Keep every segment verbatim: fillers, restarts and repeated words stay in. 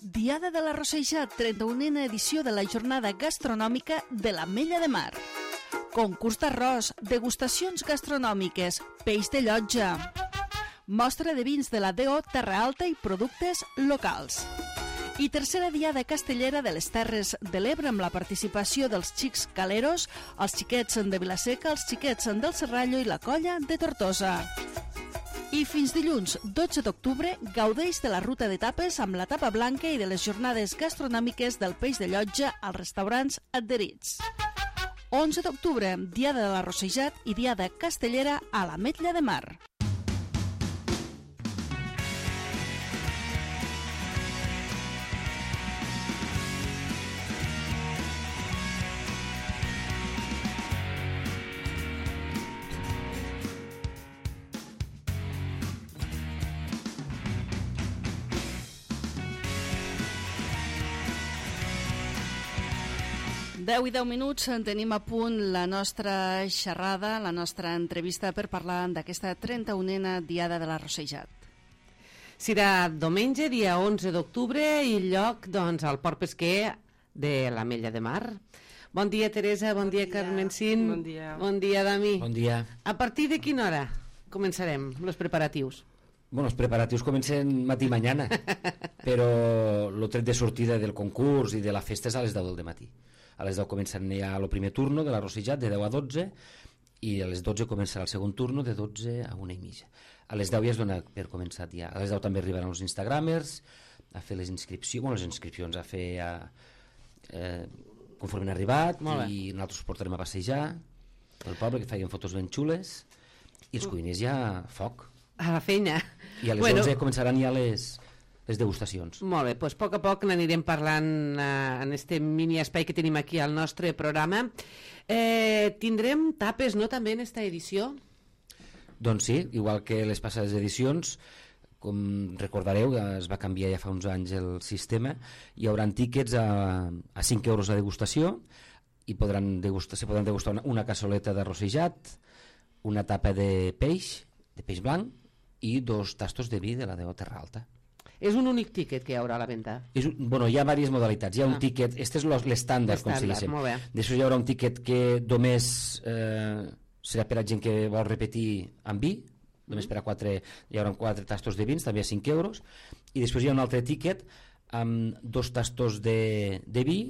Diada de la Rosseijat, trenta-unena edició de la jornada gastronòmica de l'Ametlla de Mar. Concurs d'arròs, degustacions gastronòmiques, peix de llotja, mostra de vins de la D O Terra Alta i productes locals. I tercera diada castellera de les Terres de l'Ebre amb la participació dels xics caleros, els xiquets de Vilaseca, els xiquets del Serrallo i la colla de Tortosa. I fins dilluns, dotze d'octubre, gaudeix de la ruta d'etapes amb la tapa blanca i de les jornades gastronòmiques del peix de llotja als restaurants adherits. onze d'octubre, diada de la Rosseijat i diada castellera a l'Ametlla de Mar. deu i deu minuts, tenim a punt la nostra xerrada, la nostra entrevista per parlar d'aquesta trenta-unena diada de la Rosseijat. Serà diumenge, dia onze d'octubre, i lloc, doncs, al Port Pesquer de l'Ametlla de Mar. Bon dia, Teresa, bon, bon dia, dia, Carmen Cin. Bon dia. Bon dia, Dami. Bon dia. A partir de quina hora començarem els preparatius? Bueno, els preparatius comencen matí i mañana, però el tret de sortida del concurs i de la festa és a les deu del matí. A les deu comencen ja el primer turno de la Rosseijat, de deu a dotze, i a les dotze començarà el segon turno, de dotze a una i mitja. A les deu ja es dona per començat ja. A les deu també arribaran els instagramers a fer les inscripcions, bueno, les inscripcions a fer a, eh, conforme han arribat, i nosaltres us portarem a passejar pel poble, que feien fotos ben xules, i els cuiners ja foc. A la feina. I a les bueno, onze començaran ja les... les degustacions. Molt bé, doncs a poc a poc n'anirem parlant eh, en este mini espai que tenim aquí al nostre programa. Eh, tindrem tapes, no, també en esta edició? Doncs sí, igual que les passades edicions, com recordareu, es va canviar ja fa uns anys el sistema, hi haurà tíquets a, a cinc euros la degustació, i podran degustar, se podran degustar una, una cassoleta de Rosseijat, una tapa de peix, de peix blanc, i dos tastos de vi de la D O Terra Alta. És un únic tíquet que hi haurà a la venda? És un, bueno, hi ha diverses modalitats. Hi ha ah. un tíquet, este és l'estàndard, com se diu. Després hi haurà un tíquet que només eh, serà per a gent que vol repetir amb vi, només per a quatre, hi haurà quatre tastos de vins, també a cinc euros, i després hi ha un altre tíquet amb dos tastos de, de vi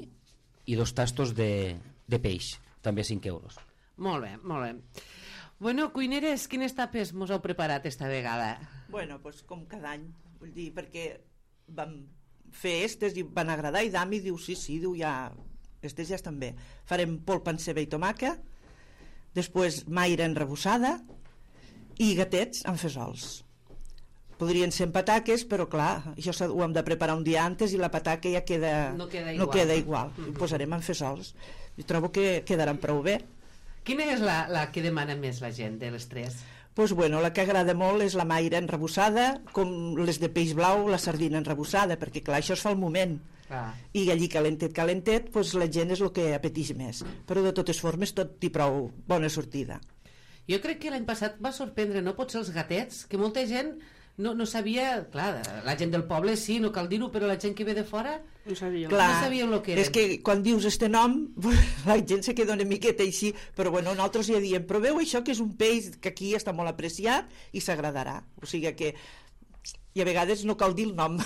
i dos tastos de, de peix, també a cinc euros. Molt bé, molt bé. Bueno, cuineres, quines tapes mos heu preparat esta vegada? Bueno, pues com cada any, vull dir, perquè vam fer estes i van agradar, i Dami diu sí, sí, diu ja, estes ja estan bé. Farem polpa en ceba i tomàquet, després maire enrebossada i gatets amb fesols. Podrien ser en pataques, però clar, això ho hem de preparar un dia antes i la pataca ja queda, no queda igual. No queda igual. Mm-hmm. Ho posarem en fesols. I trobo que quedaran prou bé. Quina és la, la que demana més la gent de les tres? Pues bueno, la que agrada molt és la maire enrebossada, com les de peix blau, la sardina enrebossada, perquè clar, això es fa al moment. Ah. I allí calentet, calentet, pues la gent és el que apeteix més. Però de totes formes tot hi prou bona sortida. Jo crec que l'any passat va sorprendre, no potser els gatets, que molta gent no, no sabia, clar, la gent del poble sí, no cal dir-ho, però la gent que ve de fora no sabia, clar, no sabien el que era. És que quan dius este nom la gent se queda una miqueta així, però bueno, nosaltres ja diem, però veu això que és un peix que aquí està molt apreciat i s'agradarà, o sigui que i a vegades no cal dir el nom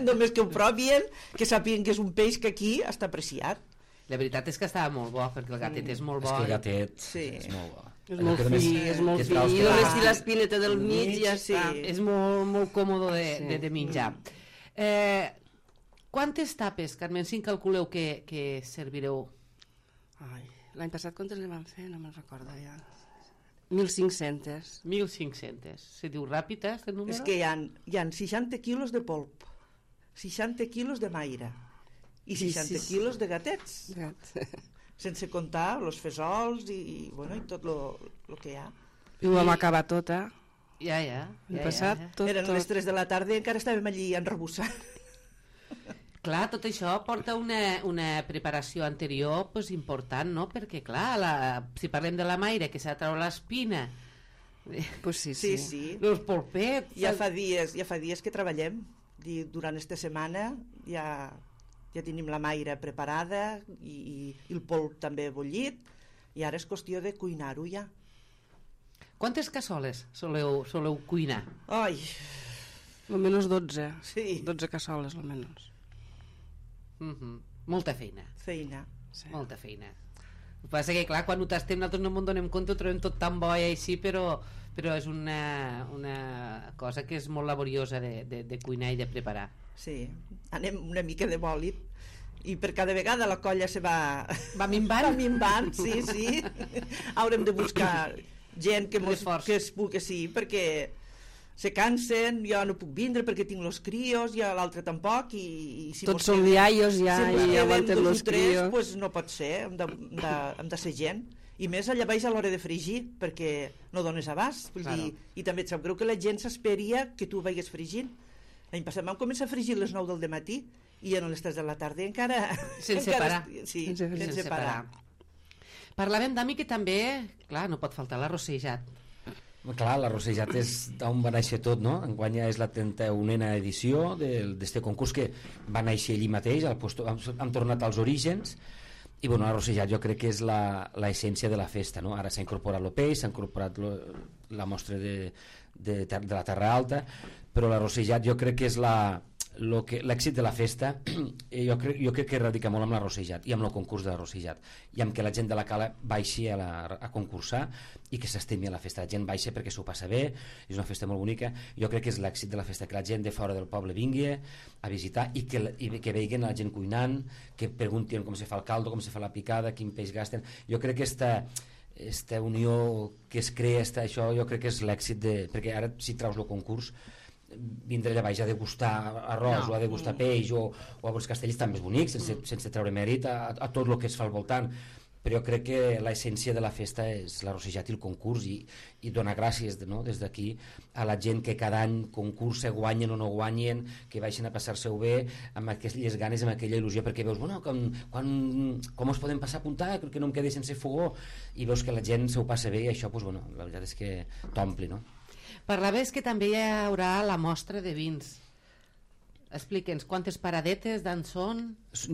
només que ho provien, que sàpiguen que és un peix que aquí està apreciat. La veritat és que estava molt bo, perquè el gatet mm. és molt bo. És que el gatet sí. és molt bo. És molt fi, és molt fi, i només si l'espineta del mig ja sí. És molt, molt còmode de, sí. de, de menjar. Eh, quantes tapes, Carmen, si calculeu que, que servireu? Ai, l'any passat quantes ne van fer? No me'n recordo ja. mil cinc-centes. mil cinc-centes. Se diu ràpid, eh, este número? És que hi ha, hi ha seixanta quilos de polp, seixanta quilos de maire i seixanta sí, sí. quilos de gatets. Gat. Sense comptar els fesols i, bueno, i tot el que hi ha. I ho vam acabar tot, eh? Ja, ja. ja, passat, ja, ja. Tot, Eren tot. les tres de la tarda i encara estàvem allí enrebossant. Clar, tot això porta una, una preparació anterior pues, important, no? Perquè, clar, la, si parlem de la maire, que s'ha de treure l'espina... Pues sí, sí. sí. sí. Els polpets... Ja fa dies, ja fa dies que treballem. dir, durant aquesta setmana ja, ja tenim la maire preparada i, i, i el polp també bullit, i ara és qüestió de cuinar-ho ja. Quantes cassoles soleu, soleu cuinar? Ai, Almenys dotze. Sí. dotze cassoles, almenys. Mm -hmm. Molta feina. feina. Sí. Molta feina. El que passa que, clar, quan ho tastem nosaltres no ens donem compte, ho trobem tot tan bo i així, però, però és una, una cosa que és molt laboriosa de, de, de cuinar i de preparar. Sí, anem una mica de bòlit i per cada vegada la colla se va... Va minvant? Va minvant, sí, sí. Haurem de buscar gent que, mos, Reforç. que es pugui, sí, perquè se cansen, jo no puc vindre perquè tinc los crios, i l'altre tampoc, i, i si Tots mos són quedem- iaios ja si mos i quedem aguanten dos o los tres, crios. pues no pot ser, hem de, hem de, hem de ser gent. I més allà baix a l'hora de fregir, perquè no dones abast. Vull Claro. dir, i també et sap greu que la gent s'esperia que tu veies fregint. L'any passat vam començar a fregir a les nou del matí i a les tres de la tarda encara... Sense encara, parar. Sí, Sense- sense, Sense parar. parar. Parlàvem, Dami, que també, clar, no pot faltar l'arrossejat. Clar, l'arrossejat és d'on va néixer tot, no? Enguany ja és la trenta-unena edició d'este concurs que va néixer allí mateix, al puesto, hem, hem tornat als orígens, i bueno, l'arrossejat jo crec que és l'essència de la festa, no? Ara s'ha incorporat el peix, s'ha incorporat lo, la mostra de, de, de la Terra Alta, però l'arrossejat jo crec que és la lo que l'èxit de la festa jo crec, jo crec que radica molt amb l'arrossejat i amb el concurs de l'arrossejat i amb que la gent de la cala baixi a, la, a concursar i que s'estimi a la festa. La gent baixa perquè s'ho passa bé, és una festa molt bonica. Jo crec que és l'èxit de la festa, que la gent de fora del poble vingui a visitar i que, i que veiguen la gent cuinant, que preguntin com se fa el caldo, com se fa la picada, quin peix gasten. Jo crec que esta, esta unió que es crea, esta, això jo crec que és l'èxit de... perquè ara si traus el concurs vindre allà baix a degustar arròs no. o a degustar peix o, o a veure castells tan més bonics sense, mm. sense treure mèrit a, a tot el que es fa al voltant, però jo crec que l'essència de la festa és l'arrossejat i el concurs i, i donar gràcies no? Des d'aquí a la gent que cada any concursa, guanyen o no guanyen, que baixen a passar-se-ho bé amb aquelles ganes, amb aquella il·lusió, perquè veus, bueno, com, quan, com us podem passar a apuntar, crec que no em quedé sense fogó, i veus que la gent s'ho passa bé i això, pues, bueno, la veritat és que t'ompli, no? Parlaves que també hi haurà la mostra de vins. Explica'ns, quantes paradetes, d'on són?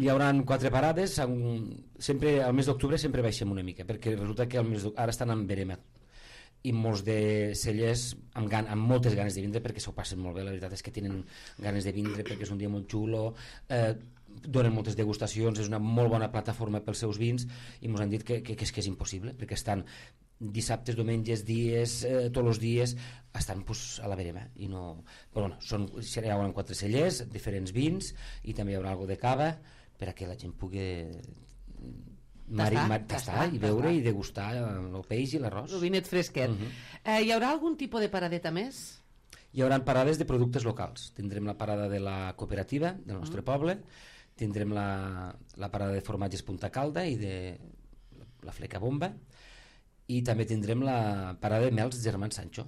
Hi haurà quatre parades, sempre al mes d'octubre sempre baixem una mica, perquè resulta que al mes ara estan en verema i molts de cellers amb, gan amb moltes ganes de vindre perquè s'ho passen molt bé, la veritat és que tenen ganes de vindre perquè és un dia molt xulo, eh, donen moltes degustacions, és una molt bona plataforma pels seus vins i ens han dit que, que, que, és, que és impossible, perquè estan dissabtes, diumenges, dies, eh, tots els dies estan pues, a la verema i no... Però bueno, són, hi haurà quatre cellers, diferents vins i també hi haurà alguna de cava per a que la gent pugui mari, tastar, mar, tastar, tastar i veure tastar. i degustar el peix i l'arròs. El vinet fresquet. Uh -huh. eh, hi haurà algun tipus de paradeta més? Hi haurà parades de productes locals. Tindrem la parada de la cooperativa del nostre uh -huh. poble, tindrem la, la parada de formatges Punta Calda i de la Fleca Bomba, i també tindrem la parada de mels Germans Sancho.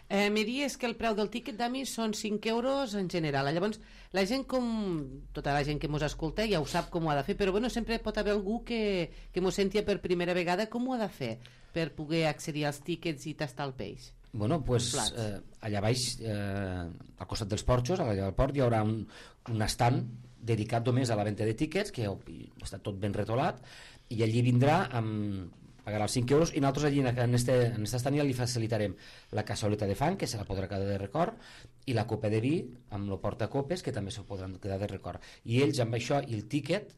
Eh, me dies que el preu del tíquet d'Ami són cinc euros en general. Llavors, la gent com... tota la gent que mos escolta ja ho sap com ho ha de fer, però bueno, sempre pot haver algú que, que mos sentia per primera vegada. Com ho ha de fer per poder accedir als tíquets i tastar el peix? Bueno, pues, eh, allà baix, eh, al costat dels porxos, allà del port, hi haurà un, un estand dedicat només a la venda de tíquets, que està tot ben retolat, i allí vindrà amb... pagarà els cinc euros i nosaltres allí en este, en este estand ja li facilitarem la cassoleta de fang, que se la podrà quedar de record, i la copa de vi amb el portacopes, que també se podran quedar de record. I ells amb això i el tíquet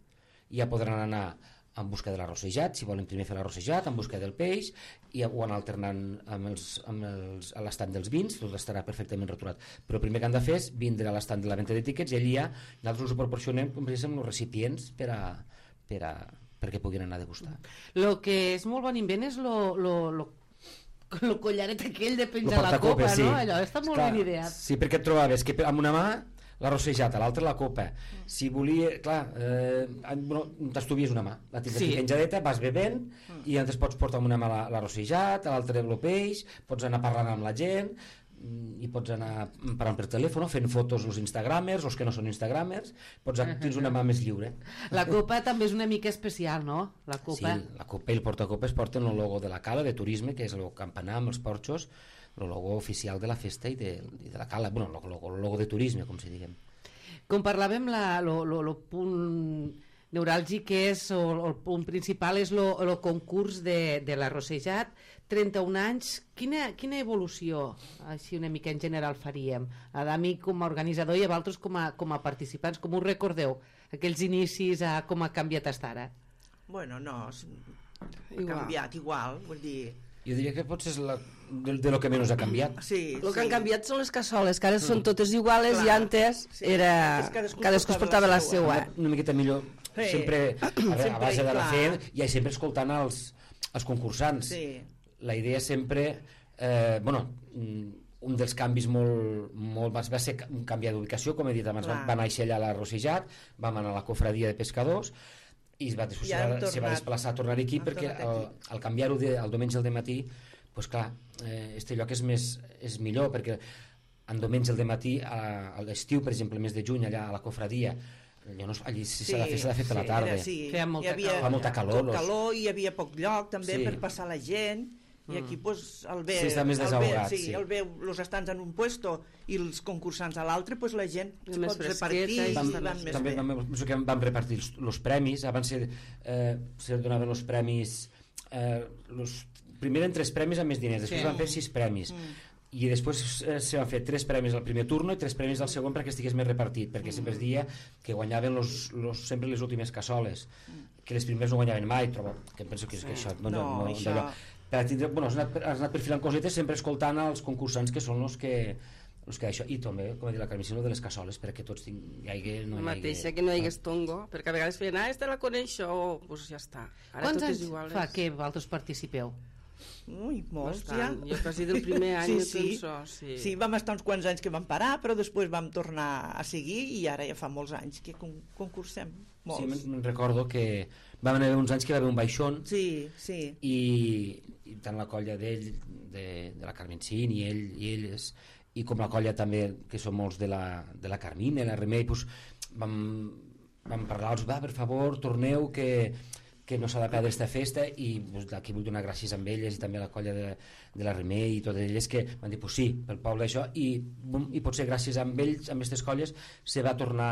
ja podran anar en busca de l'arrossejat, si volen primer fer l'arrossejat, en busca del peix, i ho anar alternant amb els, amb els, a l'estand dels vins, tot estarà perfectament rotulat. Però el primer que han de fer és vindre a l'estand de la venda de tíquets i allí ja nosaltres us ho proporcionem com amb els recipients per a, per a perquè puguin anar a degustar. El que és molt bon invent és lo, lo, lo, lo collaret aquell de penjar la copa, sí. no? Allò està molt clar, ben ideat. Sí, perquè et trobaves que amb una mà l'arrossejat, a l'altra la copa. Si volia, clar, eh, no, t'estuvies una mà, la tens Sí. aquí penjadeta, vas bevent i llavors pots portar amb una mà l'arrossejat, a l'altra el peix, pots anar parlant amb la gent i pots anar parlant per telèfon, fent fotos als instagramers, els que no són instagramers, pots, tens una mà més lliure. La copa també és una mica especial, no? La copa. Sí, la copa i el portacopes porten el logo de la cala de turisme, que és el campanar amb els porxos el logo oficial de la festa i de, i de la cala, bueno, el logo, el logo de turisme, com si diguem. Com parlàvem, el punt neuràlgic que és, o el punt principal és el concurs de, de l'arrossejat, trenta-un anys, quina, quina evolució així una mica en general faríem? A Dami com a organitzador i a vosaltres com a, com a participants, com us recordeu aquells inicis, a com ha canviat fins ara? Bueno, no, ha Igual. canviat igual, vull dir... Jo diria que potser és la, de, de lo que menys ha canviat. Sí, El que sí. han canviat són les cassoles, que ara són totes iguales. Clar, i antes sí. era... Antes cadascú cadascú es portava portava la la seua. seua. Una miqueta millor, Sí. sempre, a, veure, Sempre, a base de la clar. fe i sempre escoltant els, els concursants. Sí. La idea sempre... Eh, bueno, un dels canvis molt, molt va ser un canvi d'ubicació, com he dit abans, va, Clar. va néixer allà a la Rossejat, vam anar a la cofradia de pescadors i va, després I se hem va, se va tornat. desplaçar a tornar aquí Hem perquè tornat al, aquí. al canviar-ho de, al diumenge al dematí, pues clar, eh, este lloc és, més, és millor perquè en diumenge al dematí, a, a l'estiu, per exemple, el mes de juny, allà a la cofradia, allò no, allí si s'ha de fer, s'ha de fer per la tarda. Era, sí. Feia molta Hi havia, calor. Fa molta calor, Poc los- calor i hi havia poc lloc també Sí. per passar la gent i aquí pues, el ve, Sí, està més el ve, desahogat, sí, sí. el veu els estants en un puesto i els concursants a l'altre, pues la gent es Més pot fresqueta repartir i i Vam, està van més també bé. vam, penso que vam repartir els, els premis, abans se, eh, se donaven els premis, eh, los, primer eren tres premis amb més diners, després Sí. van fer sis premis, Mm. i després eh, se van fer tres premis al primer turno i tres premis al segon perquè estigués més repartit, perquè sempre es dia que guanyaven los, los, sempre les últimes cassoles, que les primeres no guanyaven mai, trobo, que em penso que, que això no, no, No, no, això- d'allò. Per tindre, bueno, has anat, has anat perfilant cosetes sempre escoltant els concursants que són els que els que això, i també, com ha dit la Carmicina, de les cassoles, perquè tots ting, hi hagi... No La hi hagi- mateixa, que no hi hagués tongo, perquè a vegades feien, ah, esta la coneixo, oh, pues ja està. Ara Quants tot anys és igual. fa que vosaltres participeu? Ui, molts Bastant. ja. Jo quasi del primer any, sí, jo sí. penso, sí. Sí, vam estar uns quants anys que vam parar, però després vam tornar a seguir i ara ja fa molts anys que con concursem. Sí, Molts. me'n me'n recordo que vam haver uns anys que va haver un baixón Sí, sí. i, i tant la colla d'ell, de, de la Carmencín i ell i elles, i com la colla també, que són molts de la, de la Carmina, la Remei, pues, vam, vam parlar-los, va, per favor, torneu, que, que no s'ha de perdre aquesta festa, i pues, aquí vull donar gràcies amb elles i també a la colla de, de la Remei i totes elles que van dir, pues sí, pel poble això, i, bum, i potser gràcies a ells, amb aquestes colles, se va tornar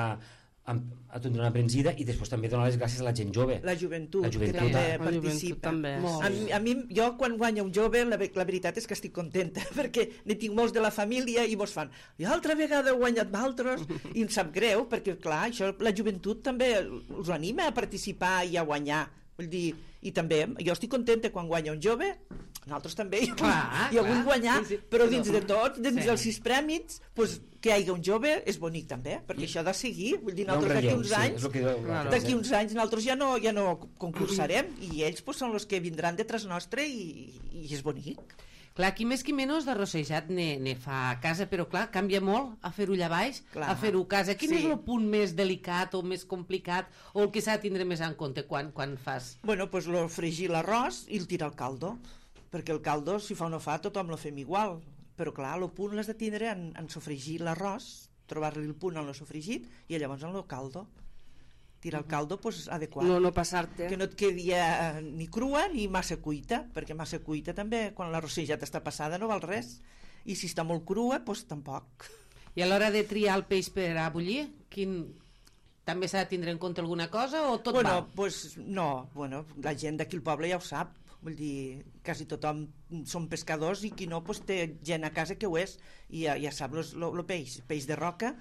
a, a tindre una embranzida i després també donar les gràcies a la gent jove. La joventut, La joventut, que també ah. La joventut participa. també. Molt. A mi, a mi, jo quan guanya un jove, la, ve- la veritat és que estic contenta, perquè ne tinc molts de la família i mos fan, i altra vegada heu guanyat d'altres, i em sap greu, perquè clar, això la joventut també us anima a participar i a guanyar. Vull dir, i també, jo estic contenta quan guanya un jove, nosaltres també hi, Clar, hi ha hagut clar. guanyar, Sí, sí. però dins de tot, dins Sí. dels sis prèmits, pues, que hi hagi un jove és bonic també, perquè I- això ha de seguir, vull dir, Hi ha un nosaltres d'aquí relleu, uns sí, anys, és el que, Claro. d'aquí uns anys nosaltres ja no, ja no concursarem i ells pues, són els que vindran detrás nostre i, i és bonic. Clar, qui més qui menys d'arrossejat ne, ne fa a casa, però clar, canvia molt a fer-ho allà baix, Clar. a fer-ho a casa. Quin Sí. és el punt més delicat o més complicat o el que s'ha de tindre més en compte quan, quan fas? Bueno, pues lo fregir l'arròs i el tirar al caldo, perquè el caldo, si fa o no fa, tothom lo fem igual. Però clar, el punt l'has de tindre en, en sofregir l'arròs, trobar-li el punt en lo sofregit i llavors en lo caldo. Tirar el caldo, pues, adequat. No, no passar-te. Que no et quedi eh, ni crua ni massa cuita, perquè massa cuita també, quan la rossejat està passada no val res. I si està molt crua, doncs tampoc. I a l'hora de triar el peix per a bullir, quin... també s'ha de tindre en compte alguna cosa o tot bueno, val? pues, no, bueno, la gent d'aquí al poble ja ho sap, vull dir, quasi tothom són pescadors i qui no, pues, té gent a casa que ho és i ja, ja sap el peix, peix de roca,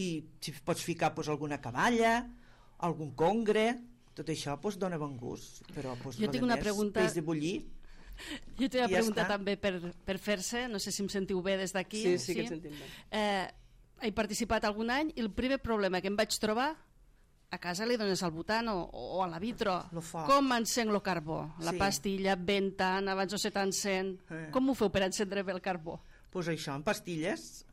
i si pots ficar pues, alguna cavalla, algun congre, tot això pues, dona bon gust, però pues, Jo lo tinc de una més, pregunta- peix de bullir. Jo t'he una Ja pregunta està. també per, per fer-se, no sé si em sentiu bé des d'aquí. Sí, sí, que et sentim bé. Eh, he participat algun any i el primer problema que em vaig trobar, a casa li dones al butan o, o a la vitro, Lo foc. com encenc el carbó? La Sí. pastilla, ventant, abans no se t'encén. Eh. Com ho feu per encendre bé el carbó? Pues això, en pastilles,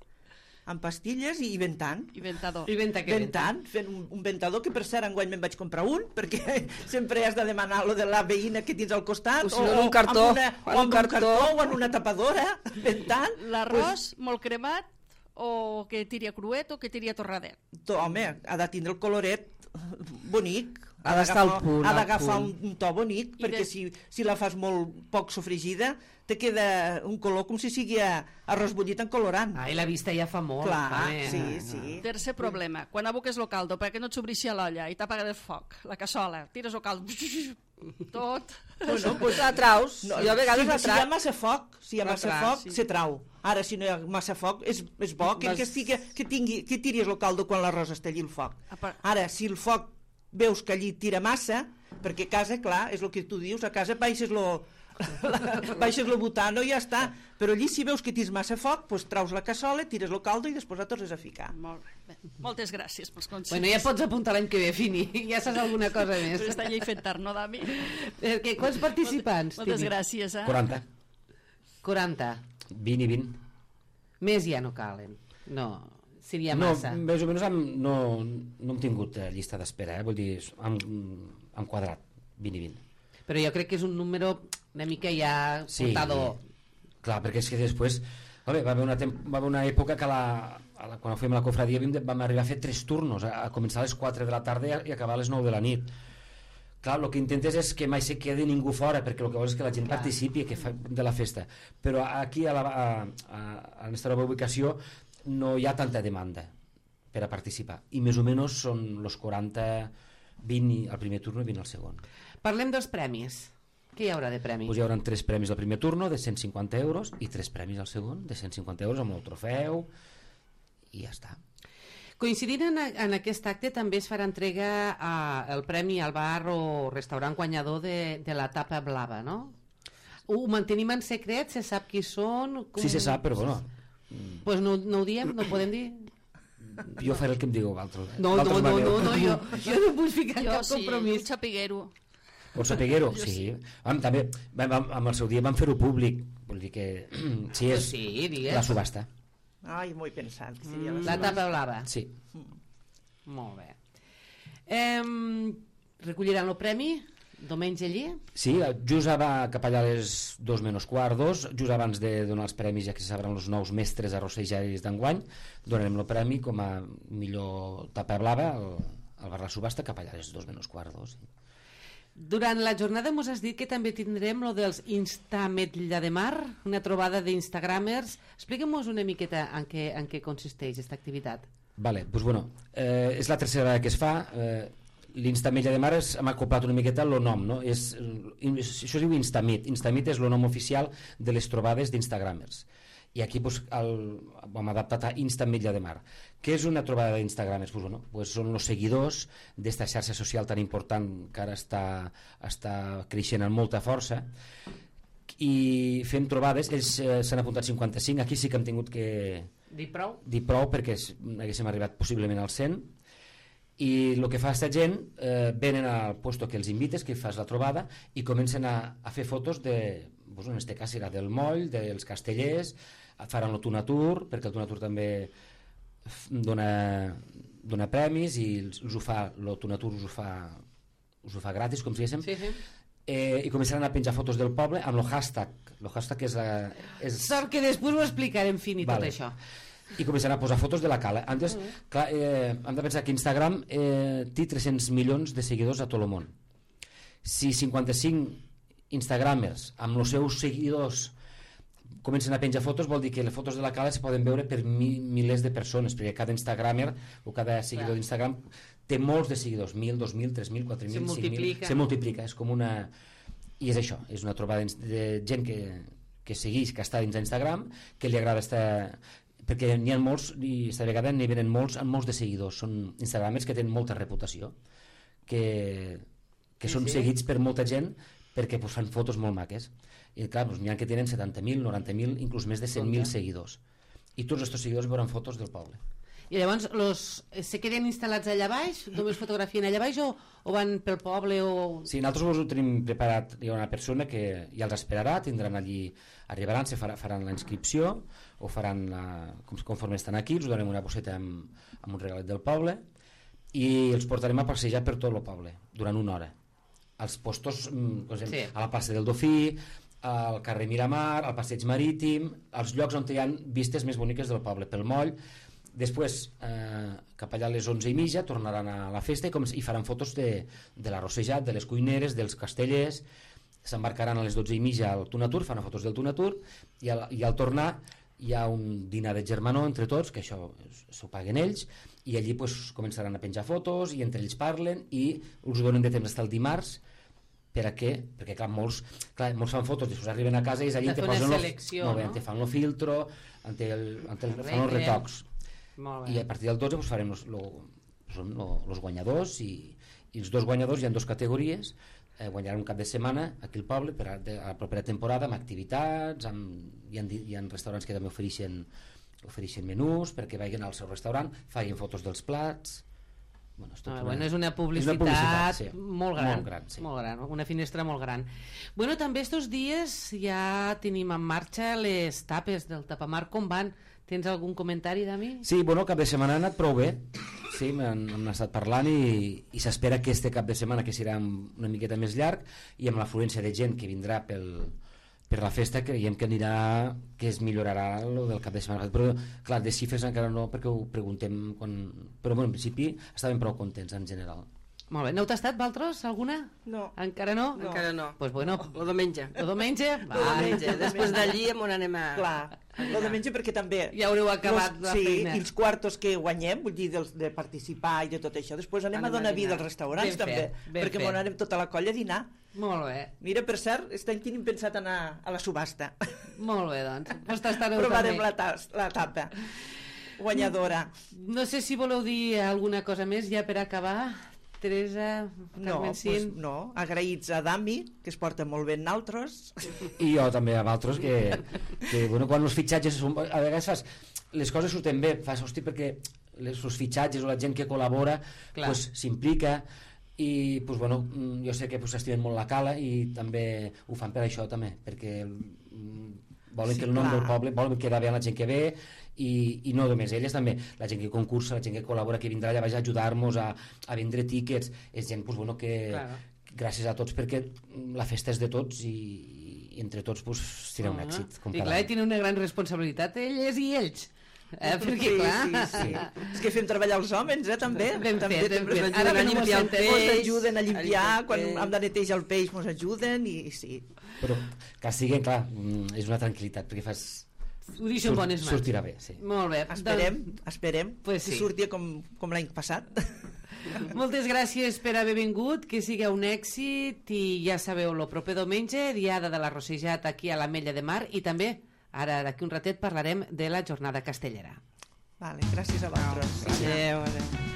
en pastilles i ventant. I ventador. I venta que venta. Ventant, fent un, un ventador que per cert enguany me'n vaig comprar un perquè sempre has de demanar lo de la veïna que tens al costat O si no, en un cartó, amb una, en o amb un un cartó. cartó o en una tapadora ventant. L'arròs molt cremat o que tiri a cruet o que tiri a torradet? Pues, home, ha de tindre el coloret bonic, Ha d'estar al punt, ha al d'agafar un, punt. un to bonic, I perquè de- si, si la fas molt poc sofregida te queda un color com si sigui a- arròs bullit en colorant. Ai, la vista ja fa molt. Clar, home. sí, sí. Tercer problema, quan aboques el caldo perquè no et s'obrixi a l'olla i t'apaga el foc, la cassola, tires el caldo, tot... Bueno, Pues la traus, no, jo a vegades si, la si hi ha trac. massa foc, si hi ha La massa trac, foc, sí. se trau. Ara, si no hi ha massa foc, és, és bo que, Vas- que, estigui, que, tingui, que tiris el caldo quan l'arròs està allí el foc. A part- Ara, si el foc veus que allí tira massa, perquè a casa, clar, és el que tu dius, a casa baixes lo, la, baixes lo butano i ja està. Però allí si veus que tens massa foc, doncs traus la cassola, tires el caldo i després la tornes a ficar. Molt bé. Bé, moltes gràcies pels consells. Bueno, ja pots apuntar l'any que ve, Fini. Ja saps alguna cosa més. Però està llei fent tard, no, Dami? Perquè quants participants? Moltes tenim? gràcies, eh? quaranta, quaranta. vint i vint. Més ja no calen. No, seria No, massa. més o menys hem, no, no hem tingut eh, llista d'espera, eh? Vull dir, hem, hem quadrat, vint i vint. Però jo crec que és un número una mica ja Sí, portador. clar, perquè és que després va, bé, va, haver una tem va haver una època que la, a la, quan fèiem la cofradia vam, vam arribar a fer tres turnos, a, a començar a les quatre de la tarda i, a, i acabar a les nou de la nit. Clar, el que intentes és que mai se quedi ningú fora, perquè el que vols és que la gent Clar. participi que fa, de la festa. Però aquí, a la, a, a, a la nostra nova ubicació, no hi ha tanta demanda per a participar. I més o menys són els quaranta, vint al primer turno i vint al segon. Parlem dels premis. Què hi haurà de premi? Pues hi haurà tres premis al primer turno de cent cinquanta euros i tres premis al segon de cent cinquanta euros amb el trofeu i ja està. Coincidint en, en aquest acte també es farà entrega a, el premi al bar o restaurant guanyador de, de la tapa blava, no? Ho mantenim en secret? Se sap qui són? Com... Sí se sap, però bueno, Pues no, no ho diem? No podem dir? jo faré el que em digueu vosaltres. No, no, no, no, no, jo, jo no vull ficar Jo cap sí, compromís. un xapiguero. Vols saber-ho? Sí. Vam, també, vam, vam, amb el seu dia vam fer-ho públic. Vull dir que sí, és Sí, digues. la subhasta. Ai, m'ho he pensat. Que seria La tapa blava. Sí. Molt bé. Em, recolliran el premi diumenge allí? Sí, just va cap allà a les dos menys quart, dos, just abans de donar els premis, ja que se sabran els nous mestres arrossejaris d'enguany, donarem el premi com a millor tapa blava al, al bar La Subhasta cap allà a les dos menys quart, dos. Durant la jornada mos has dit que també tindrem lo dels Instametlla de Mar, una trobada d'instagramers. Expliquem-nos una miqueta en què, en què consisteix aquesta activitat. Vale, doncs bueno, eh, és la tercera vegada que es fa. Eh, L'Instamilla de Mar és, hem acoplat una miqueta el nom, no? És, és, això es diu Instamit. Instamit és el nom oficial de les trobades d'Instagramers. I aquí pues, el, hem adaptat a Instamilla de Mar. Què és una trobada d'Instagramers? Pues, bueno, pues són els seguidors d'esta xarxa social tan important que ara està, està creixent amb molta força, i fem trobades. Ells eh, s'han apuntat cinquanta-cinc, aquí sí que hem tingut que Dir prou? dir prou perquè s- haguéssim arribat possiblement al cent, i el que fa aquesta gent, eh, venen al puesto que els invites, que fas la trobada, i comencen a, a fer fotos de, doncs en este cas serà del moll, dels castellers, faran el Tunatur, perquè el Tunatur també f- dona, dona premis i els, els ho fa, el Tunatur us ho fa, us ho fa gratis, com si diguéssim, Sí, sí. eh, i començaran a penjar fotos del poble amb el hashtag. El hashtag és, la, és Sort que després ho explicarem fin i Vale. tot això. i començaran a posar fotos de la cala. Antes, clar, eh, hem de pensar que Instagram eh, té tres-cents milions de seguidors a tot el món. Si cinquanta-cinc instagramers amb els seus seguidors comencen a penjar fotos, vol dir que les fotos de la cala es poden veure per mi, milers de persones, perquè cada instagramer o cada seguidor Clar. d'Instagram té molts de seguidors, mil, dos mil, tres mil, quatre mil, Se cinc mil, multiplica. se multiplica, és com una... I és això, és una trobada de gent que, que segueix, que està dins d'Instagram, que li agrada estar... Perquè n'hi ha molts, i esta vegada n'hi venen molts amb molts de seguidors, són instagramers que tenen molta reputació, que, que Sí, són sí. seguits per molta gent perquè pues, fan fotos molt maques. I clar, pues, n'hi ha que tenen setanta mil, noranta mil, inclús més de cent mil Compte. seguidors. I tots aquests seguidors veuran fotos del poble. I llavors los, se queden instal·lats allà baix? Només fotografien allà baix o, o van pel poble? O... Sí, nosaltres ho tenim preparat, hi ha una persona que ja els esperarà, tindran allí, arribaran, se farà, faran la inscripció, o faran la, com, conforme estan aquí, els donem una bosseta amb, amb un regalet del poble, i els portarem a passejar per tot el poble, durant una hora. Als postos, mm, com Sí. sí. a la plaça del Dofí, al carrer Miramar, al passeig marítim, als llocs on hi ha vistes més boniques del poble, pel moll, Després, eh, cap allà a les onze i mitja, tornaran a la festa i, com, i faran fotos de, de l'arrossejat, de les cuineres, dels castellers. S'embarcaran a les dotze i mitja al Tunatur, fan fotos del Tunatur, i al, i al tornar hi ha un dinar de germanor entre tots, que això s'ho paguen ells, i allí pues, començaran a penjar fotos, i entre ells parlen, i us donen de temps fins al dimarts, per a què? Perquè clar, molts, clar, molts fan fotos, després arriben a casa i és allí te posen selecció, lo, no? no? te fan el filtro, te, el, te el, fan els retocs. I a partir del dotze pues, farem los, lo, són lo, los guanyadors, i, i els dos guanyadors hi ha dues categories, eh, guanyaran un cap de setmana aquí al poble per a, de, a la propera temporada amb activitats, amb, hi, ha, hi ha restaurants que també ofereixen, ofereixen menús perquè vagin al seu restaurant, facin fotos dels plats. Bueno, és, ah, una, bueno, és una publicitat, és una publicitat sí. molt gran, molt gran, sí. molt gran, una finestra molt gran. Bueno, també estos dies ja tenim en marxa les tapes del tapamar, com van? Tens algun comentari, Dami? Sí, bueno, el cap de setmana ha anat prou bé, sí, hem, hem estat parlant i, i s'espera que este cap de setmana, que serà una miqueta més llarg, i amb l'afluència de gent que vindrà pel, per la festa, creiem que anirà, que es millorarà lo del cap de setmana, però clar, de xifres encara no, perquè ho preguntem quan... però bueno, en principi estàvem prou contents en general. Molt bé, n'heu tastat, Valtros, alguna? No. Encara no? No. Encara no. Pues bueno, el diumenge. El diumenge? Va. El diumenge. Després d'allí on anem a... Clar, el diumenge perquè també... Ja haureu acabat los, la sí, feina. I els quartos que guanyem, vull dir, dels, de participar i de tot això, després anem, anem a donar vida als restaurants ben també, fet, ben perquè fet. m'on anem tota la colla a dinar. Molt bé. Mira, per cert, aquest any tenim pensat anar a la subhasta. Molt bé, doncs. Pues tastareu provarem també. la, tas, la tapa guanyadora. No sé si voleu dir alguna cosa més ja per acabar. Teresa, no, pues no, agraïts a Dami, que es porta molt bé en altres. I jo també a altres, que, que bueno, quan els fitxatges són, a vegades fas, les coses surten bé, fas, hosti, perquè les, els fitxatges o la gent que col·labora pues, s'implica i pues, bueno, jo sé que pues, estimen molt la cala i també ho fan per això també, perquè volen sí, que el nom clar. Del poble, volen quedar bé a la gent que ve i, i no només elles, també la gent que concursa, la gent que col·labora, que vindrà allà a ajudar-nos a, a vendre tíquets, és gent pues, bueno, que claro. Gràcies a tots perquè la festa és de tots i, i entre tots pues, serà un uh -huh. èxit com i clar, i tenen una gran responsabilitat elles i ells eh? Perquè sí, clar sí, sí. És que fem treballar els homes, eh, també ben també, fet, també ben fet. Ara a limpiar el peix, ens ajuden a limpiar a quan hem de netejar el peix ens ajuden i sí. Però que sigui, clar, és una tranquil·litat perquè fas ho deixo en bones mans. Sortirà bé, sí. Molt bé. Esperem, esperem pues sí. que surti com, com l'any passat. Moltes gràcies per haver vingut, que sigui un èxit i ja sabeu, el proper diumenge, diada de l'arrossejat aquí a l'Ametlla de Mar i també, ara d'aquí un ratet parlarem de la jornada castellera. Vale, gràcies a vosaltres. Adéu, adéu.